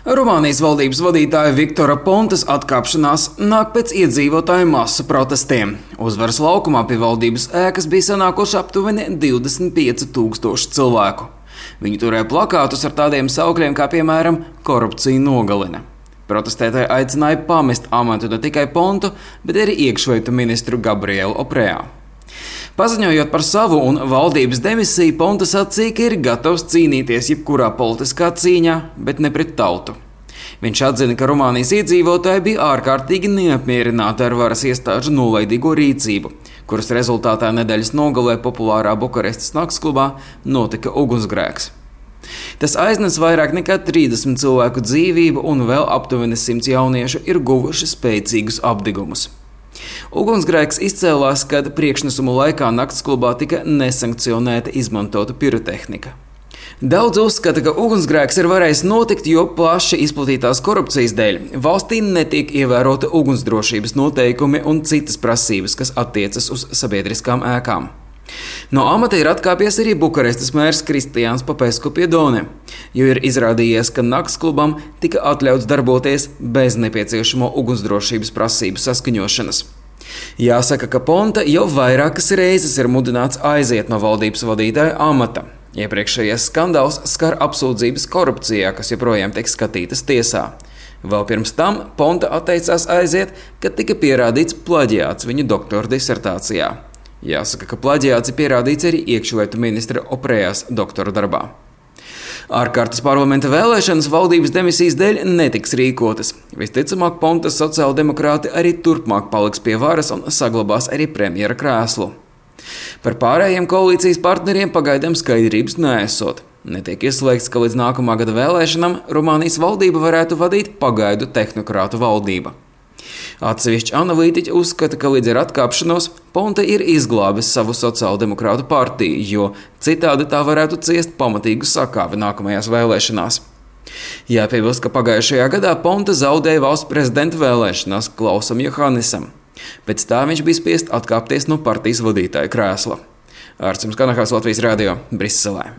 Rumānijas valdības vadītāja Viktora Pontas atkāpšanās nāk pēc iedzīvotāju masu protestiem. Uzvaras laukumā pie valdības ēkas bija sanākuši aptuveni 25,000 cilvēku. Viņi turēja plakātus ar tādiem saukļiem kā, piemēram, korupcija nogalina. Protestētāji aicināja pamest amatu ne tikai Pontu, bet arī iekšlietu ministru Gabrielu Oprejā. Paziņojot par savu un valdības demisiju, Ponta sacīja, ka ir gatavs cīnīties jebkurā politiskā cīņā, bet ne pret tautu. Viņš atzina, ka Rumānijas iedzīvotāji bija ārkārtīgi neapmierināti ar varas iestāžu nolaidīgo rīcību, kuras rezultātā nedēļas nogalē populārā Bukarestas naktsklubā notika ugunsgrēks. Tas aiznes vairāk nekā 30 cilvēku dzīvību un vēl aptuveni 100 jauniešu ir guvuši spēcīgus apdegumus. Ugunsgrēks izcēlās, kad priekšnesumu laikā naktsklubā tika nesankcionēta izmantota pirotehnika. Daudz uzskata, ka ugunsgrēks ir varējis notikt, jo plaši izplatītās korupcijas dēļ valstī netiek ievērota ugunsdrošības noteikumi un citas prasības, kas attiecas uz sabiedriskām ēkām. No amata ir atkāpies arī Bukarestas mērs Kristiāns Popesku Piedone, jo ir izrādījies, ka naktsklubam tika atļauts darboties bez nepieciešamo ugunsdrošības prasību saskaņošanas. Jāsaka, ka Ponta jau vairākas reizes ir mudināts aiziet no valdības vadītāja amata. Iepriekšējais skandāls skar apsūdzības korupcijā, kas joprojām tiek skatītas tiesā. Vēl pirms tam Ponta atteicās aiziet, kad tika pierādīts plaģiāts viņa doktora disertācijā. Jāsaka, ka plaģiāts ir pierādīts arī iekšlietu ministra Oprejās doktora darbā. Ārkārtas parlamenta vēlēšanas valdības demisijas dēļ netiks rīkotas. Visticamāk, Pontas sociāldemokrāti arī turpmāk paliks pie varas un saglabās arī premjera krēslu. Par pārējiem koalīcijas partneriem pagaidām skaidrības neesot. Netiek ieslēgts, ka līdz nākamā gada vēlēšanām Rumānijas valdību varētu vadīt pagaidu tehnokrātu valdība. Atsevišķi analītiķi uzskata, ka līdz ar atkāpšanos Ponta ir izglābis savu sociāldemokrātu partiju, jo citādi tā varētu ciest pamatīgu sakāvi nākamajās vēlēšanās. Jāpiebilst, ka pagājušajā gadā Ponta zaudēja valsts prezidenta vēlēšanās Klausam Johannisam. Pēc tā viņš bija spiests atkāpties no partijas vadītāja krēsla. Ārcis Kanahās, Latvijas radio, Briselē.